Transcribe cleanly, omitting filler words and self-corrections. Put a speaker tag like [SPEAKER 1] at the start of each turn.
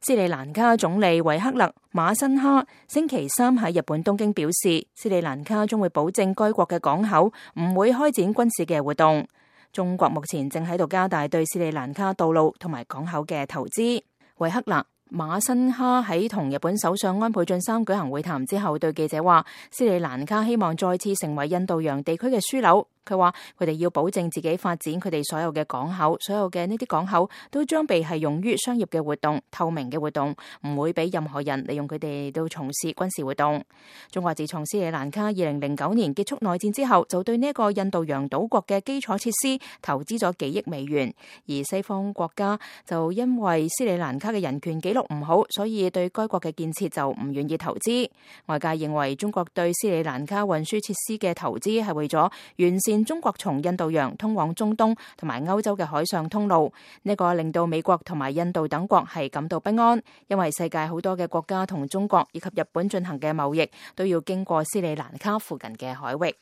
[SPEAKER 1] 斯里蘭卡總理維克勒馬辛哈星期三喺日本東京表示，斯里蘭卡將會保證該國嘅港口唔會開展軍事嘅活動。中國目前正喺度加大對斯里蘭卡道路同埋港口嘅投資。維克勒馬辛哈喺同日本首相安倍晉三舉行會談之後，對記者話：斯里蘭卡希望再次成為印度洋地區嘅樞紐。佢話佢哋要保證自己發展佢哋所有嘅港口，所有嘅呢啲港口都將被係用於商業嘅活動、透明嘅活動，唔會俾任何人利用佢哋到從事軍事活動。中國自從斯里蘭卡2009年結束內戰之後，就對呢一個印度洋島國嘅基礎設施投資咗幾億美元，而西方國家就因為斯里蘭卡嘅人權記錄唔好，所以對該國嘅建設就唔願意投資。外界認為中國對斯里蘭卡運輸設施嘅投資係為咗完善中國從印度洋通往中東同埋歐洲嘅海上通路，呢個令到美國同埋印度等國係感到不安，因為世界好多嘅國家同中國以及日本進行嘅貿易都要經過斯里蘭卡附近嘅海域。